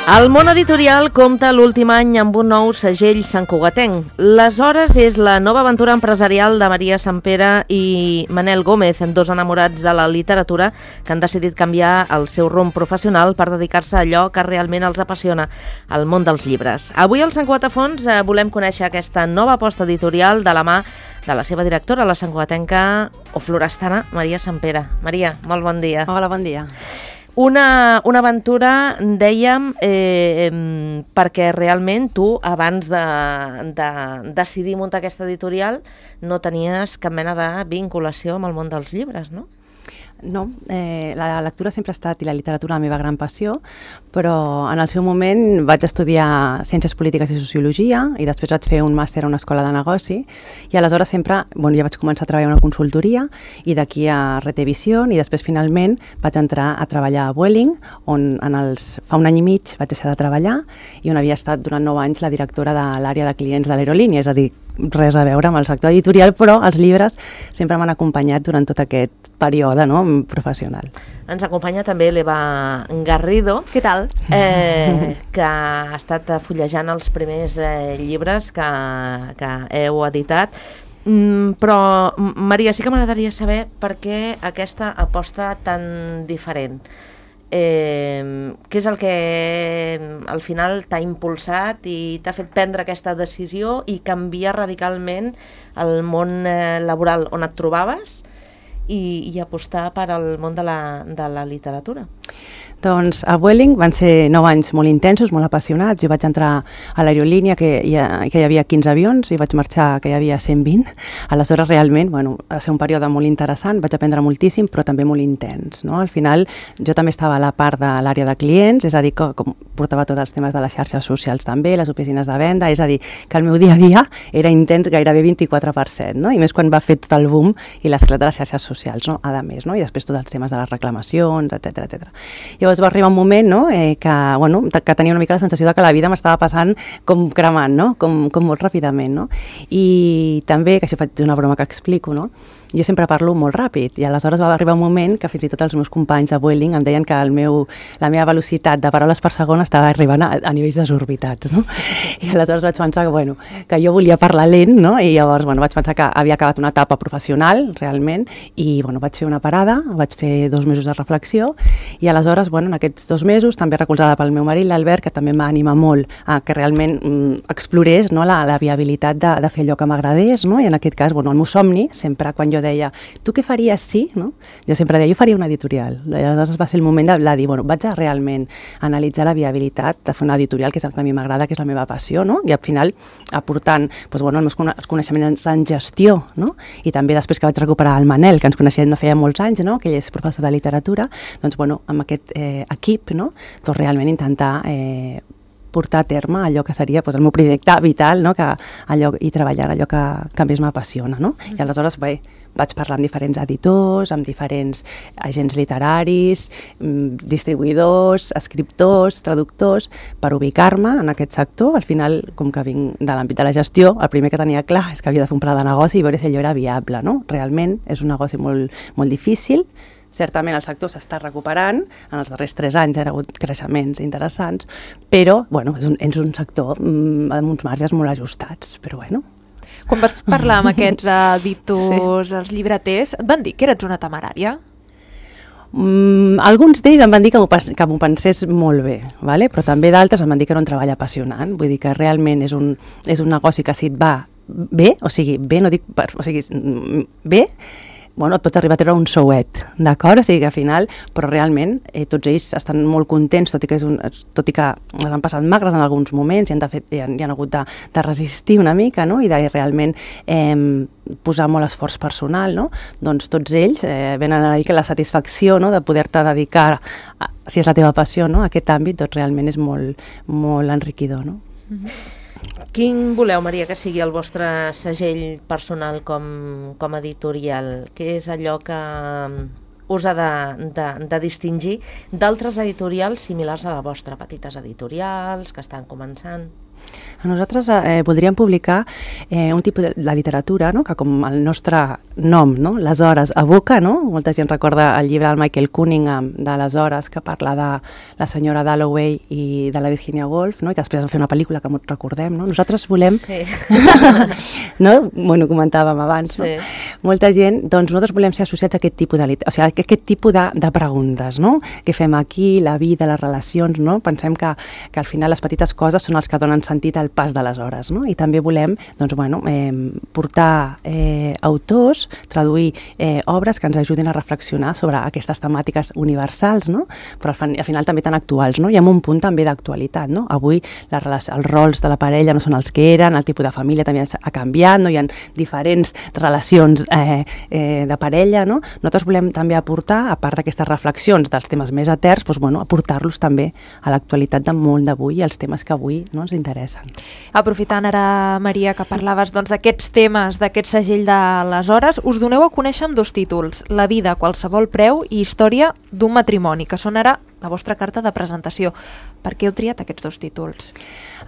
El món editorial compta l'últim any amb un nou segell santcugatenc. Les Hores és la nova aventura empresarial de Maria Sampere i Manel Gómez, dos enamorats de la literatura que han decidit canviar el seu rumb professional per dedicar-se a allò que realment els apassiona, el món dels llibres. Avui al Sant Cugat a Fons volem conèixer aquesta nova aposta editorial de la mà de la seva directora, la santcugatenca o florestana, Maria Sampere. Maria, molt bon dia. Hola, bon dia. Una aventura, dèiem, perquè realment tu, abans de decidir muntar aquesta editorial, no tenies cap mena de vinculació amb el món dels llibres, no? No, la lectura sempre ha estat, i la literatura, la meva gran passió, però en el seu moment vaig estudiar Ciències Polítiques i Sociologia i després vaig fer un màster a una escola de negoci i aleshores sempre, ja vaig començar a treballar a una consultoria i d'aquí a Retevision i després finalment vaig entrar a treballar a Vueling, on fa un any i mig vaig deixar de treballar i on havia estat durant 9 anys la directora de l'àrea de clients de l'aerolínia, és a dir, res a veure amb el sector editorial, però els llibres sempre m'han acompanyat durant tot aquest període professional. Ens acompanya també l'Eva Garrido. Què tal? Que ha estat fullejant els primers llibres que heu editat. Però, Maria, sí que m'agradaria saber per què aquesta aposta tan diferent. Què és el que al final t'ha impulsat i t'ha fet prendre aquesta decisió i canviar radicalment el món laboral on et trobaves i apostar per al món de la literatura? Doncs a Vueling van ser 9 anys molt intensos, molt apassionats. Jo vaig entrar a l'aerolínia que hi havia 15 avions i vaig marxar que hi havia 120. Aleshores realment va ser un període molt interessant, vaig aprendre moltíssim però també molt intens. No? Al final jo també estava a la part de l'àrea de clients, és a dir, que portava tots els temes de les xarxes socials també, les oficines de venda, és a dir, que el meu dia a dia era intens gairebé 24%, no? I més quan va fer tot el boom i l'esclat de les xarxes socials, no? A més, no? I després tots els temes de les reclamacions, etc. Llavors va arribar un moment que tenia una mica la sensació de que la vida m'estava passant com cremant, no? com molt ràpidament. No? I també, que això faig una broma que explico, no? Jo sempre parlo molt ràpid i aleshores va arribar un moment que fins i tot els meus companys de Vueling em deien que la meva velocitat de paraules per segon estava arribant a nivells desorbitats. No? I aleshores vaig pensar que jo volia parlar lent, no? I llavors vaig pensar que havia acabat una etapa professional realment i vaig fer una parada, vaig fer 2 mesos de reflexió i aleshores en aquests 2 mesos, també recolzada pel meu marit, l'Albert, que també em va animar molt a que realment explorés, no? la viabilitat de fer allò que m'agradés, no? I en aquest cas, el meu somni, sempre quan jo deia, tu què faries si? No? Jo sempre deia, jo faria una editorial. Aleshores va ser el moment de dir, vaig a realment analitzar la viabilitat de fer una editorial, que és el que a mi m'agrada, que és la meva passió, no? I al final aportant els meus coneixements en gestió, no? I també després que vaig recuperar el Manel, que ens coneixem de feia molts anys, no? Que ell és professor de literatura, doncs amb aquest equip, no? Doncs realment intentar portar a terme allò que seria el meu projecte vital, no? I treballar allò que més m'apassiona. No? I aleshores vaig parlar amb diferents editors, amb diferents agents literaris, distribuïdors, escriptors, traductors, per ubicar-me en aquest sector. Al final, com que vinc de l'àmbit de la gestió, el primer que tenia clar és que havia de fer un pla de negoci i veure si allò era viable. No? Realment és un negoci molt, molt difícil. Certament el sector s'està recuperant, en els darrers 3 anys hi ha hagut creixements interessants, però és un sector amb uns marges molt ajustats, però Quan vas parlar amb aquests editors, els llibreters, et van dir que eres una temerària? Alguns d'ells em van dir que m'ho pensés molt bé, però també d'altres em van dir que era un treball apassionant, vull dir que realment és un negoci que si et va bé, bé, et pots arribar a treure un souet, d'acord? O sigui que al final, però realment tots ells estan molt contents, tot i que les han passat magres en alguns moments i han hagut de resistir una mica, no? I de realment posar molt esforç personal, no? Doncs tots ells venen a dir que la satisfacció, no? De poder-te dedicar, si és la teva passió, no? A aquest àmbit, doncs realment és molt, molt enriquidor, no? Quin voleu, Maria, que sigui el vostre segell personal com a editorial? Què és allò que us ha de distingir d'altres editorials similars a la vostra, petites editorials que estan començant? Nosaltres voldríem publicar un tipus de literatura, no? Que com el nostre nom, no? Les hores evoca, no? Molta gent recorda el llibre del Michael Cunningham de les hores, que parla de la senyora Dalloway i de la Virginia Woolf, no? I que després va fer una pel·lícula que recordem, no? Nosaltres volem... Sí. No? Bueno, comentàvem abans, no? Sí. Molta gent, doncs nosaltres volem ser associats a aquest tipus o sigui, aquest tipus de preguntes, no? Què fem aquí, la vida, les relacions, no? Pensem que al final les petites coses són els que donen sentit al pas de les hores, no? I també volem, doncs, bueno, portar autors, traduir obres que ens ajudin a reflexionar sobre aquestes temàtiques universals, no? Però al final també tan actuals, no? I amb un punt també d'actualitat, no? Avui els rols de la parella no són els que eren, el tipus de família també ha canviat, no? Hi ha diferents relacions de parella, no? Nosaltres volem també aportar, a part d'aquestes reflexions dels temes més eterns, doncs, bueno, aportar-los també a l'actualitat de molt d'avui i als temes que avui no ens interessen. Aprofitant ara, Maria, que parlaves d'aquests temes, d'aquest segell de les hores, us doneu a conèixer amb 2 títols, La vida a qualsevol preu i Història d'un matrimoni, que són ara la vostra carta de presentació. Per què heu triat aquests 2 títols?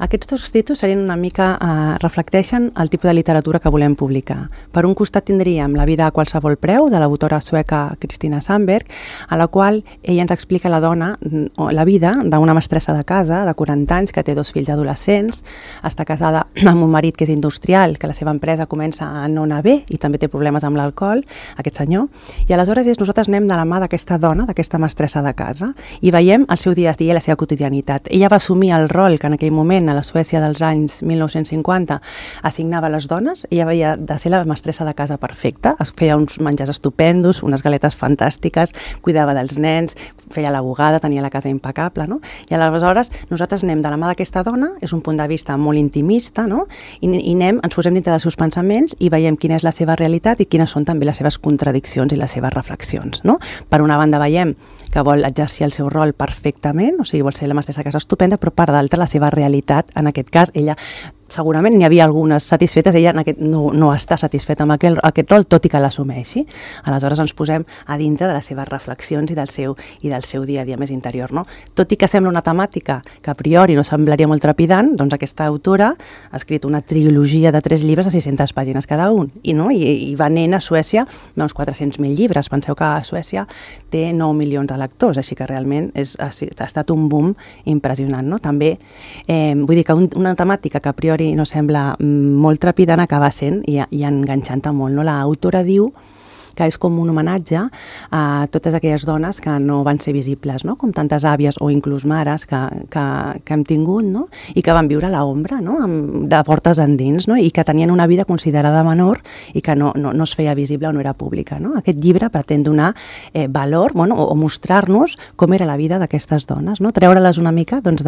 Aquests 2 títols serien una mica, reflecteixen el tipus de literatura que volem publicar. Per un costat tindríem La vida a qualsevol preu, de l'autora sueca Kristina Sandberg, a la qual ella ens explica la vida d'una mestressa de casa de 40 anys que té 2 fills adolescents, està casada amb un marit que és industrial, que la seva empresa comença a no anar bé i també té problemes amb l'alcohol, aquest senyor, i aleshores nosaltres anem de la mà d'aquesta dona, d'aquesta mestressa de casa, i veiem el seu dia a dia i la seva quotidianitat. Ella va assumir el rol que en aquell moment, a la Suècia dels anys 1950, assignava a les dones. Ella havia de ser la mestressa de casa perfecta, es feia uns menjars estupendos, unes galetes fantàstiques, cuidava dels nens, feia la bugada, tenia la casa impecable, no? I aleshores nosaltres anem de la mà d'aquesta dona, és un punt de vista molt intimista, no? I ens posem dintre dels seus pensaments i veiem quina és la seva realitat i quines són també les seves contradiccions i les seves reflexions, no? Per una banda veiem que vol exercir el seu rol perfectament, o sigui, vol ser la mestressa de casa estupenda, però per d'altra la seva realitat, en aquest cas, ella segurament n'hi havia algunes satisfetes, ella no està satisfeta amb aquest rol, tot i que l'assumeixi. Aleshores ens posem a dintre de les seves reflexions i del seu dia a dia més interior, no? Tot i que sembla una temàtica que a priori no semblaria molt trepidant, doncs aquesta autora ha escrit una trilogia de 3 llibres de 600 pàgines cada un, i venent a Suècia 400.000 llibres. Penseu que a Suècia té 9 milions de lectors, així que realment ha estat un boom impressionant, no? També, vull dir que una temàtica que a priori no sembla molt trepidant acaba sent i enganxant-te molt, no? L'autora diu que és com un homenatge a totes aquelles dones que no van ser visibles, no? Com tantes àvies o inclús mares que hem tingut, no? I que van viure a l'ombra, no? De portes endins, no? I que tenien una vida considerada menor i que no es feia visible o no era pública, no? Aquest llibre pretén donar valor, bueno, o mostrar-nos com era la vida d'aquestes dones, no? Treure-les una mica, doncs,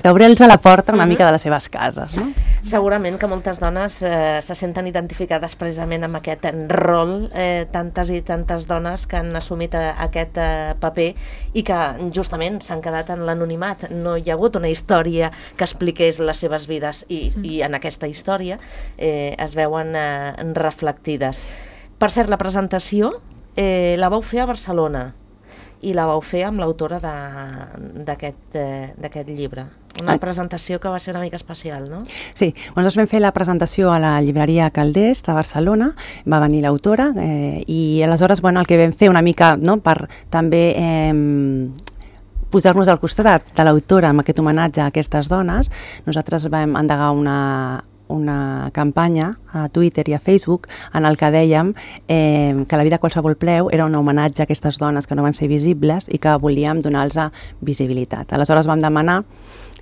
obrir-los a la porta una mica de les seves cases, no? Segurament que moltes dones se senten identificades precisament amb aquest rol, tantes i tantes dones que han assumit aquest paper i que justament s'han quedat en l'anonimat. No hi ha hagut una història que expliqués les seves vides i en aquesta història es veuen reflectides. Per cert, la presentació la vau fer a Barcelona i la vau fer amb l'autora d'aquest llibre. Una presentació que va ser una mica especial, no? Sí, nosaltres vam fer la presentació a la llibreria Calders de Barcelona, va venir l'autora i aleshores el que vam fer una mica per també posar-nos al costat de l'autora amb aquest homenatge a aquestes dones, nosaltres vam endegar una campanya a Twitter i a Facebook en el que dèiem que La vida a qualsevol preu era un homenatge a aquestes dones que no van ser visibles i que volíem donar-los visibilitat. Aleshores vam demanar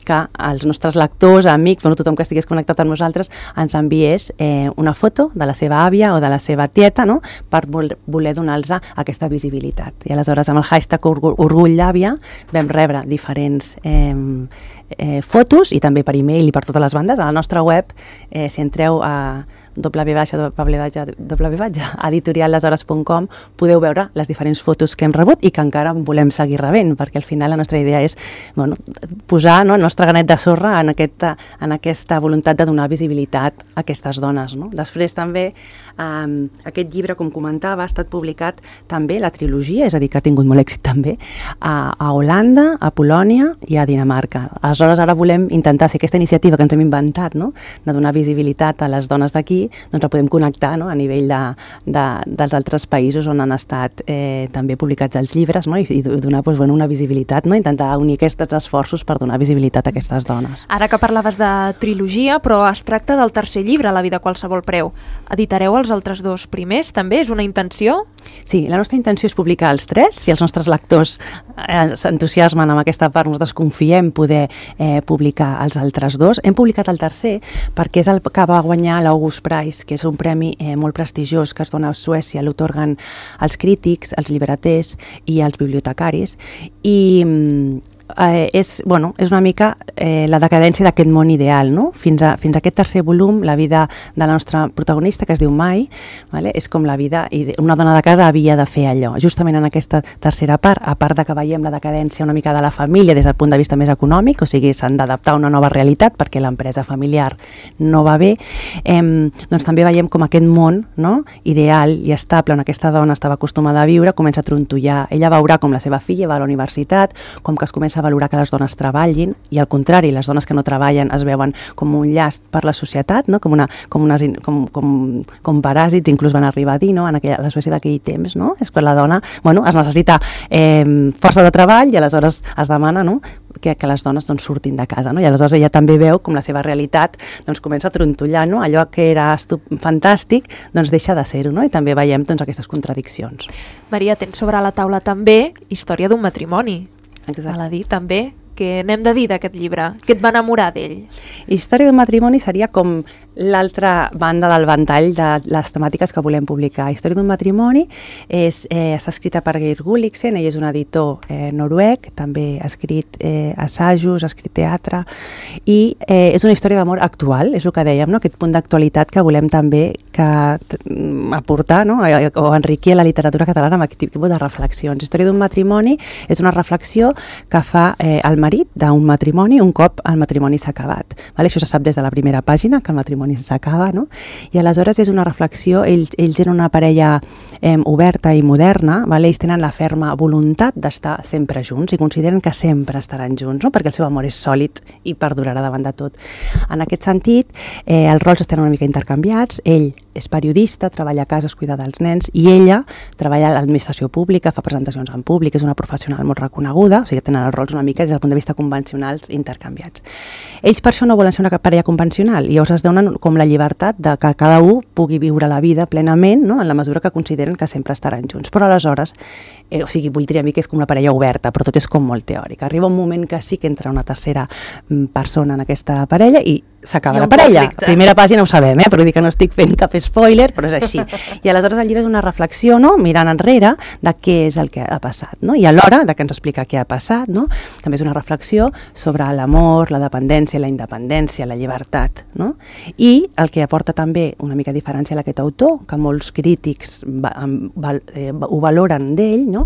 que els nostres lectors, amics, tothom que estigués connectat amb nosaltres, ens enviés una foto de la seva àvia o de la seva tieta, no?, per voler donar-los aquesta visibilitat. I aleshores amb el hashtag Orgull d'Àvia vam rebre diferents fotos i també per e-mail i per totes les bandes. A la nostra web, si entreu a www.editorialleshores.com podeu veure les diferents fotos que hem rebut i que encara en volem seguir rebent, perquè al final la nostra idea és posar el nostre granet de sorra en aquesta voluntat de donar visibilitat a aquestes dones. Després també aquest llibre, com comentava, ha estat publicat també la trilogia, és a dir, que ha tingut molt èxit també a Holanda, a Polònia i a Dinamarca. Aleshores, ara volem intentar si aquesta iniciativa que ens hem inventat, de donar visibilitat a les dones d'aquí, doncs la podem connectar a nivell dels altres països on han estat també publicats els llibres, i donar una visibilitat, intentar unir aquests esforços per donar visibilitat a aquestes dones. Ara que parlaves de trilogia, però es tracta del tercer llibre, La vida a qualsevol preu. Editareu els altres dos primers, també? És una intenció? Sí, la nostra intenció és publicar els 3. Si els nostres lectors s'entusiasmen amb aquesta part, nosaltres confiem poder publicar els altres 2. Hem publicat el tercer perquè és el que va guanyar l'August Prize, que és un premi molt prestigiós que es dona a Suècia, l'otorguen als crítics, als llibreters i als bibliotecaris, i és una mica la decadència d'aquest món ideal, fins a aquest tercer volum, la vida de la nostra protagonista, que es diu Mai, és com la vida, i una dona de casa havia de fer allò. Justament en aquesta tercera part, a part de que veiem la decadència una mica de la família des del punt de vista més econòmic, o sigui, s'han d'adaptar a una nova realitat perquè l'empresa familiar no va bé, doncs també veiem com aquest món ideal i estable on aquesta dona estava acostumada a viure comença a trontollar. Ella veurà com la seva filla va a la universitat, com que es comença a valorar que les dones treballin, i al contrari, les dones que no treballen es veuen com un llast per la societat, com paràsits, inclús van arribar a dir, a la Suècia d'aquell temps, és que la dona es necessita força de treball i aleshores es demana que les dones surtin de casa, i aleshores ella també veu com la seva realitat comença a trontollar, allò que era fantàstic deixa de ser-ho, i també veiem aquestes contradiccions. Maria, tens sobre la taula també Història d'un matrimoni. Val a dir també què n'hem de dir d'aquest llibre? Què et va enamorar d'ell? Història d'un matrimoni seria com l'altra banda del ventall de les temàtiques que volem publicar. Història d'un matrimoni està escrita per Geir Gulliksen, ell és un editor noruec, també ha escrit assajos, ha escrit teatre, i és una història d'amor actual, és el que dèiem, aquest punt d'actualitat que volem també aportar o enriquir a la literatura catalana amb aquest tipus de reflexions. Història d'un matrimoni és una reflexió que fa el marit d'un matrimoni un cop el matrimoni s'ha acabat. Això se sap des de la primera pàgina, que el matrimoni s'acaba, i aleshores és una reflexió, ells eren una parella oberta i moderna, ells tenen la ferma voluntat d'estar sempre junts i consideren que sempre estaran junts, perquè el seu amor és sòlid i perdurarà davant de tot. En aquest sentit, els rols estan una mica intercanviats, ell és periodista, treballa a casa, es cuida dels nens, i ella treballa a l'administració pública, fa presentacions en públic, és una professional molt reconeguda, o sigui, tenen els rols una mica des del punt de vista convencionals intercanviats. Ells per això no volen ser una parella convencional, i llavors es donen com la llibertat de que cada un pugui viure la vida plenament, en la mesura que consideren que sempre estaran junts. Però aleshores, voldria dir que és com una parella oberta, però tot és com molt teòric. Arriba un moment que sí que entra una tercera persona en aquesta parella i s'acaba la parella. A primera pàgina ho sabem, però dic que no estic fent cap spoiler, però és així. I aleshores el llibre és una reflexió, mirant enrere, de què és el que ha passat, i alhora de que ens explica què ha passat, també és una reflexió sobre l'amor, la dependència, la independència, la llibertat, i el que aporta també una mica diferència a aquest autor, que molts crítics ho valoren d'ell,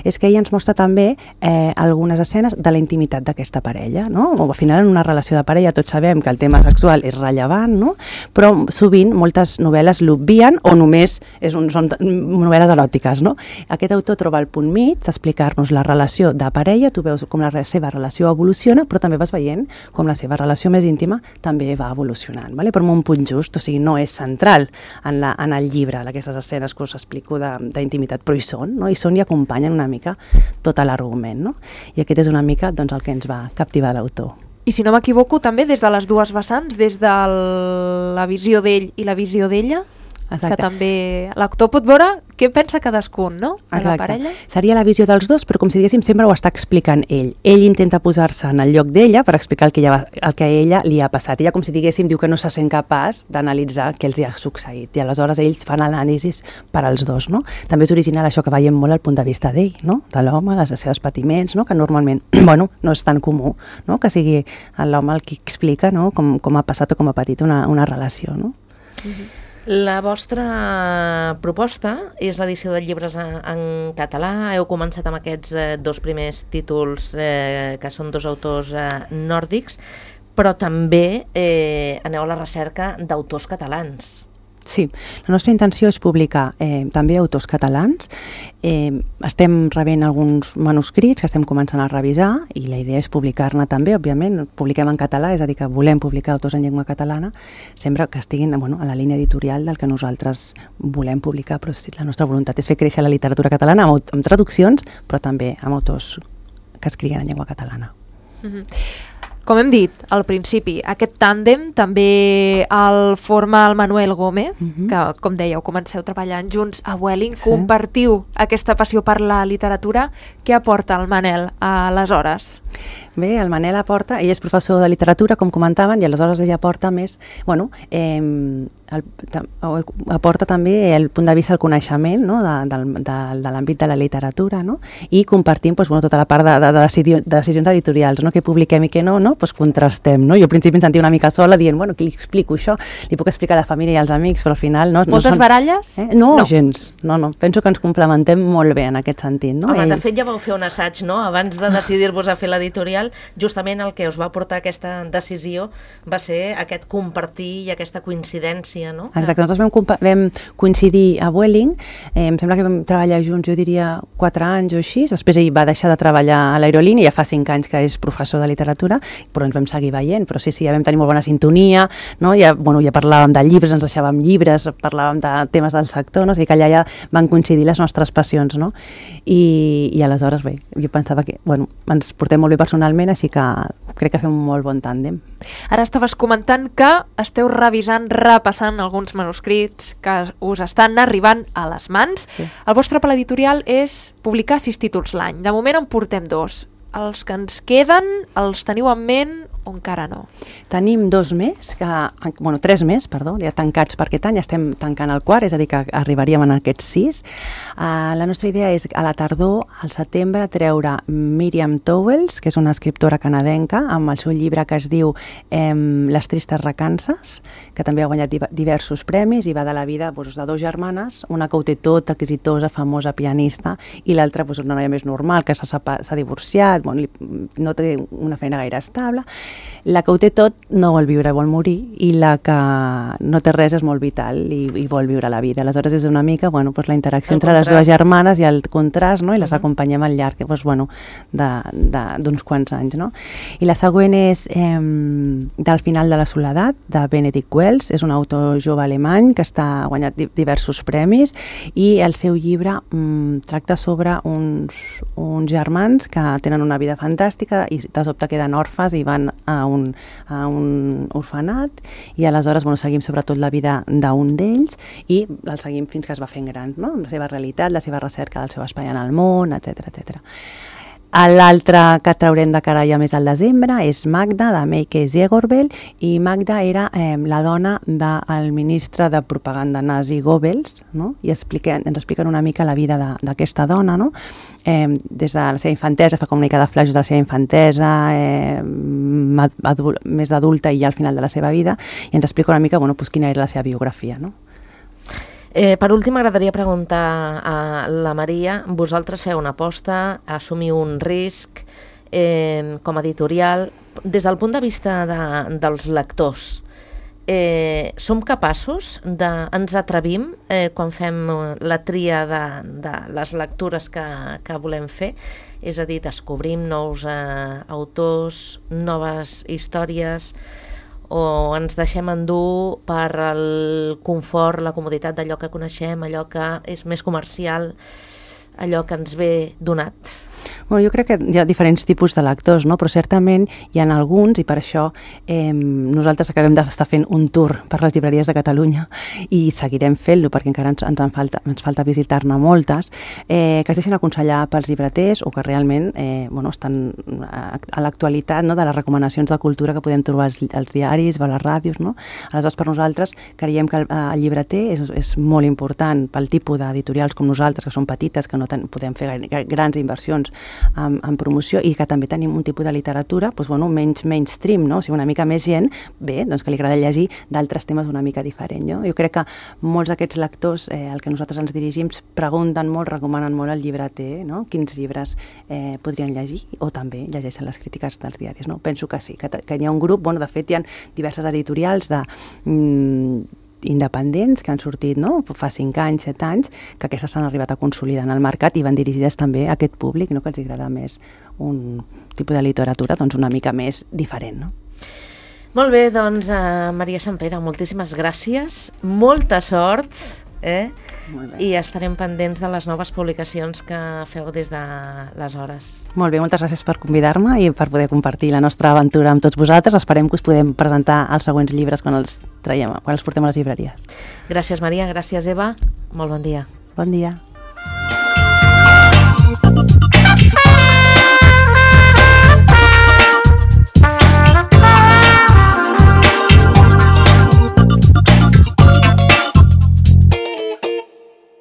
és que ell ens mostra també algunes escenes de la intimitat d'aquesta parella, al final en una relació de parella tots sabem que el tema sexual és rellevant, però sovint moltes novel·les l'obvien o només són novel·les eròtiques. Aquest autor troba el punt mig d'explicar-nos la relació de parella, tu veus com la seva relació evoluciona, però també vas veient com la seva relació més íntima també va evolucionant, però amb un punt just, o sigui, no és central en el llibre, aquestes escenes que us explico d'intimitat, però hi són i acompanyen una mica tot l'argument, i aquest és una mica el que ens va captivar l'autor. I si no m'equivoco, també des de les dues vessants, des de la visió d'ell i la visió d'ella, que també l'actor pot veure què pensa cadascun, de la parella. Seria la visió dels dos, però com si diguéssim sempre ho està explicant ell. Ell intenta posar-se en el lloc d'ella per explicar el que a ella li ha passat. Ella, com si diguéssim, diu que no se sent capaç d'analitzar què els hi ha succeït, i aleshores ells fan l'anàlisis per als dos. També és original això que veiem molt al punt de vista d'ell, de l'home, els seus patiments, que normalment no és tan comú, que sigui l'home el qui explica com ha passat o com ha patit una relació. La vostra proposta és l'edició de llibres en català. Heu començat amb aquests dos primers títols que són dos autors nòrdics, però també aneu a la recerca d'autors catalans. Sí, la nostra intenció és publicar també autors catalans. Estem rebent alguns manuscrits que estem començant a revisar i la idea és publicar-ne també, òbviament. Publiquem en català, és a dir, que volem publicar autors en llengua catalana, sempre que estiguin a la línia editorial del que nosaltres volem publicar, però sí, la nostra voluntat és fer créixer la literatura catalana amb traduccions, però també amb autors que escriguen en llengua catalana. Com hem dit al principi, aquest tàndem també el forma el Manuel Gómez, que, com dèieu, comenceu treballant junts a Vueling, compartiu aquesta passió per la literatura. Què aporta el Manel aleshores? Bé, el Manel aporta, ell és professor de literatura, com comentaven, i aleshores ell aporta més, aporta també el punt de vista del coneixement, no? de l'àmbit de la literatura, no? I compartim tota la part de decisions editorials, no? Què publiquem i què no, pues contrastem. No? Jo al principi em sentia una mica sola dient, què li explico això? Li puc explicar a la família i als amics, però al final... Moltes baralles? No, gens. No. Penso que ens complementem molt bé en aquest sentit. No? Home, de fet ja vau fer un assaig, no? Abans de decidir-vos a fer l'editorial, justament el que us va portar aquesta decisió va ser aquest compartir i aquesta coincidència, no? Exacte, nosaltres vam coincidir a Vueling, em sembla que vam treballar junts, jo diria 4 anys o així, després ell va deixar de treballar a l'aerolínia, ja fa 5 anys que és professor de literatura, però ens vam seguir veient, però sí, ja vam tenir molt bona sintonia, no? Ja parlàvem de llibres, ens deixàvem llibres, parlàvem de temes del sector, no? O sigui que allà ja van coincidir les nostres passions, no? I aleshores, bé, jo pensava que, ens portem molt bé personalment, així que crec que fem un molt bon tàndem. Ara estaves comentant que esteu repassant alguns manuscrits que us estan arribant a les mans. Sí. El vostre pla editorial és publicar 6 títols l'any. De moment en portem 2. Els que ens queden, els teniu en ment o encara no? Tenim 2 més, 3 més, ja tancats per aquest any, estem tancant el quart, és a dir, que arribaríem en aquests 6. La nostra idea és a la tardor, al setembre, treure Miriam Towles, que és una escriptora canadenca, amb el seu llibre que es diu Les tristes recances, que també ha guanyat diversos premis i va de la vida de 2 germanes, una que ho té tot, exitosa, famosa, pianista, i l'altra una noia més normal, que s'ha divorciat, no té una feina gaire estable. La que ho té tot no vol viure, vol morir, i la que no té res és molt vital i vol viure la vida. Aleshores és una mica la interacció entre les 2 germanes i el contrast, no? I les acompanyem al llarg d'uns quants anys. No? I la següent és Del final de la soledat, de Benedict Wells. És un autor jove alemany que ha guanyat diversos premis i el seu llibre tracta sobre uns germans que tenen una vida fantàstica i de sobte queden orfes i van a un orfenat i aleshores seguim sobretot la vida d'un d'ells i el seguim fins que es va fent gran, no? La seva realitat, la seva recerca del seu espai en el món, etc. L'altre que traurem de cara ja més al desembre és Magda, de Meike Zegorbel, i Magda era la dona del ministre de propaganda nazi Goebbels, no? I ens expliquen una mica la vida d'aquesta dona, no? Des de la seva infantesa, fa com una mica de flaixos de la seva infantesa, més d'adulta i ja al final de la seva vida, i ens explica una mica quina era la seva biografia, no? Per últim, m'agradaria preguntar a la Maria, vosaltres feu una aposta, assumiu un risc com a editorial, des del punt de vista dels lectors, som capaços, ens atrevim quan fem la tria de les lectures que volem fer, és a dir, descobrim nous autors, noves històries, o ens deixem endur per el confort, la comoditat d'allò que coneixem, allò que és més comercial, allò que ens ve donat? Jo crec que hi ha diferents tipus de lectors, no? Però certament hi ha alguns, i per això nosaltres acabem d'estar fent un tour per les llibreries de Catalunya i seguirem fent-lo perquè encara ens falta visitar-ne moltes, que es deixen aconsellar pels llibreters o que realment estan a l'actualitat, no? De les recomanacions de cultura que podem trobar als diaris o a les ràdios, no? Aleshores, per nosaltres creiem que el llibreter és molt important pel tipus d'editorials com nosaltres, que són petites, que no podem fer grans inversions en promoció, i que també tenim un tipus de literatura doncs, bueno, menys mainstream, no? O sigui, una mica més gent, bé, doncs que li agrada llegir d'altres temes una mica diferent. No? Jo crec que molts d'aquests lectors al que nosaltres ens dirigim pregunten molt, recomanen molt el llibreter, no? Quins llibres podrien llegir, o també llegeixen les crítiques dels diaris. No? Penso que sí, que hi ha un grup, bueno, de fet hi ha diverses editorials independents que han sortit fa 5 anys, 7 anys, que aquestes s'han arribat a consolidar en el mercat i van dirigides també a aquest públic, no? Que els agrada més un tipus de literatura doncs, una mica més diferent. No? Molt bé, doncs Maria Sempere, moltíssimes gràcies, molta sort, i estarem pendents de les noves publicacions que feu des d'aleshores. Molt bé, moltes gràcies per convidar-me i per poder compartir la nostra aventura amb tots vosaltres. Esperem que us podem presentar els següents llibres quan els portem a les llibreries. Gràcies, Maria, gràcies, Eva. Molt bon dia. Bon dia.